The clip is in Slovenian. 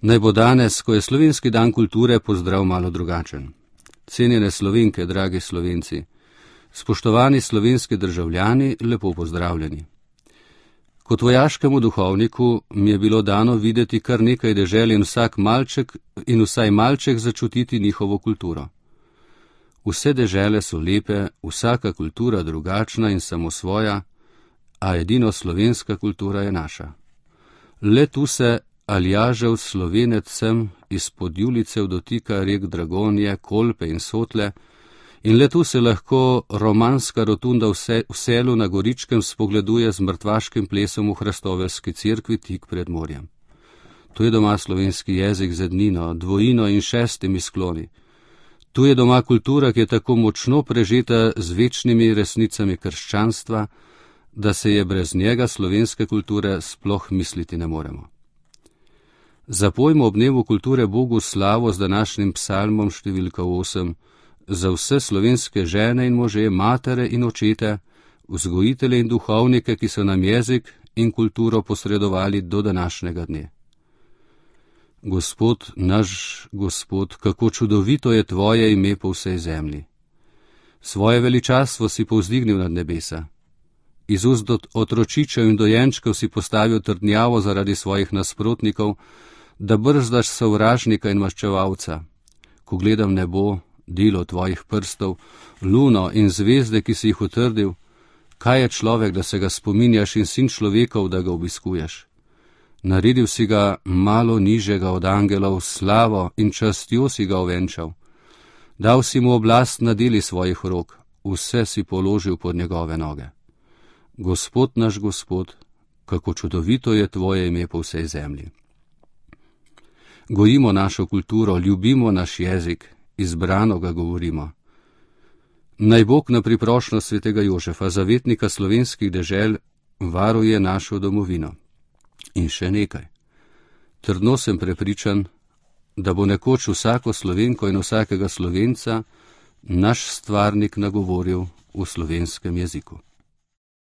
Naj bo danes, ko je slovenski dan kulture, pozdrav malo drugačen. Cenjene Slovenke, dragi Slovenci, spoštovani slovenski državljani, lepo pozdravljeni. Kot vojaškemu duhovniku mi je bilo dano videti kar nekaj dežel in vsaj malček začutiti njihovo kulturo. Vse dežele so lepe, vsaka kultura drugačna in samosvoja, a edino slovenska kultura je naša. Le tu se Aljažev Slovenec sem izpod Julicev dotika rek Dragonje, Kolpe in Sotle in le tu se lahko romanska rotunda v Selu na Goričkem spogleduje z mrtvaškim plesom v Hrastovelski cerkvi tik pred morjem. Tu je doma slovenski jezik z ednino, dvojino in šestimi skloni. Tu je doma kultura, ki je tako močno prežeta z večnimi resnicami krščanstva, da se je brez njega slovenske kulture sploh misliti ne moremo. Zapojmo ob dnevu kulture Bogu slavo z današnjim psalmom številka 8, za vse slovenske žene in može, matere in očete, vzgojitelje in duhovnike, ki so nam jezik in kulturo posredovali do današnjega dne. Gospod, naš Gospod, kako čudovito je tvoje ime po vsej zemlji. Svoje veličastvo si povzdignil nad nebesa. Iz ust otročičev in dojenčkov si postavil trdnjavo zaradi svojih nasprotnikov, da brzdaš sovražnika in maščevalca. Ko gledam nebo, delo tvojih prstov, luno in zvezde, ki si jih utrdil, kaj je človek, da se ga spominjaš, in sin človekov, da ga obiskuješ? Naredil si ga malo nižjega od angelov, slavo in častjo si ga ovenčal. Dal si mu oblast na deli svojih rok, vse si položil pod njegove noge. Gospod naš Gospod, kako čudovito je tvoje ime po vsej zemlji. Gojimo našo kulturo, ljubimo naš jezik, izbrano ga govorimo. Naj Bog na priprošnjo svetega Jožefa, zavetnika slovenskih dežel, varuje našo domovino. In še nekaj. Trdno sem prepričan, da bo nekoč vsako Slovenko in vsakega Slovenca naš stvarnik nagovoril v slovenskem jeziku.